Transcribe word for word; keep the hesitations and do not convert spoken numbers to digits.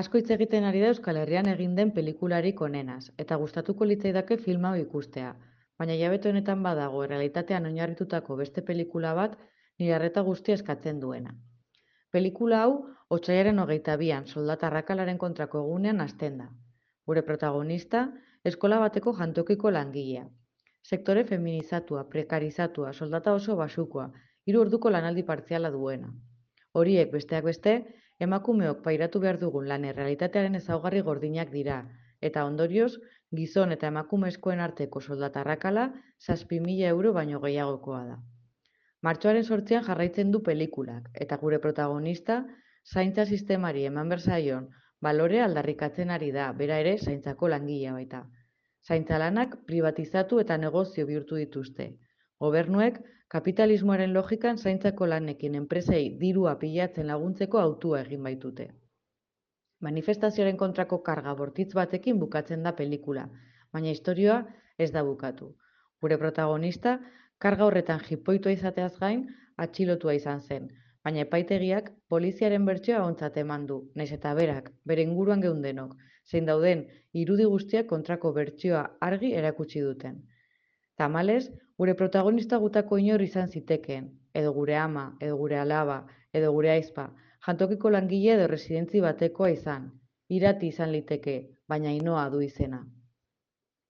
Asko hitz egiten ari da Euskal Herrian egin den pelikularik onenaz, eta gustatuko litzaidake film hau ikustea, baina hilabete honetan badago errealitatean oinarritutako beste pelikula bat nire arreta guztia eskatzen duena. Pelikula hau otsailaren hogeita bian soldata arrakalaren kontrako egunean hasten da. Gure protagonista, eskola bateko jantokiko langilea. Sektore feminizatua, prekarizatua, soldata oso basukoa, hiru orduko lanaldi partziala duena. Horiek, besteak beste, emakumeok pairatu behar dugun lan errealitatearen ezaugarri gordinak dira, eta ondorioz, gizon eta emakumezkoen arteko soldata arrakala zazpi mila euro baino gehiagokoa da. Martxoaren zortzian jarraitzen du pelikulak, eta gure protagonista zaintza sistemari eman behar zaion balorea aldarrikatzen ari da, bera ere zaintzako langilea baita. Zaintza lanak pribatizatu eta negozio bihurtu dituzte. Gobernuek kapitalismoaren logikan zaintzako lanekin enpresei dirua pilatzen laguntzeko hautua egin baitute. Manifestazioaren kontrako karga bortitz batekin bukatzen da pelikula, baina istorioa ez da bukatu. Gure protagonista karga horretan jipoitua izateaz gain atxilotua izan zen, baina epaitegiak poliziaren bertsioa ontzat eman du, nahiz eta berak, bere inguruan geundenok, zein dauden irudi guztiak kontrako bertsioa argi erakutsi duten. Tamalez, gure protagonista gutako inor izan zitekeen, edo gure ama, edo gure alaba, edo gure aizpa, jantokiko langile edo residentzi batekoa izan. Irati izan liteke, baina Ainoa du izena.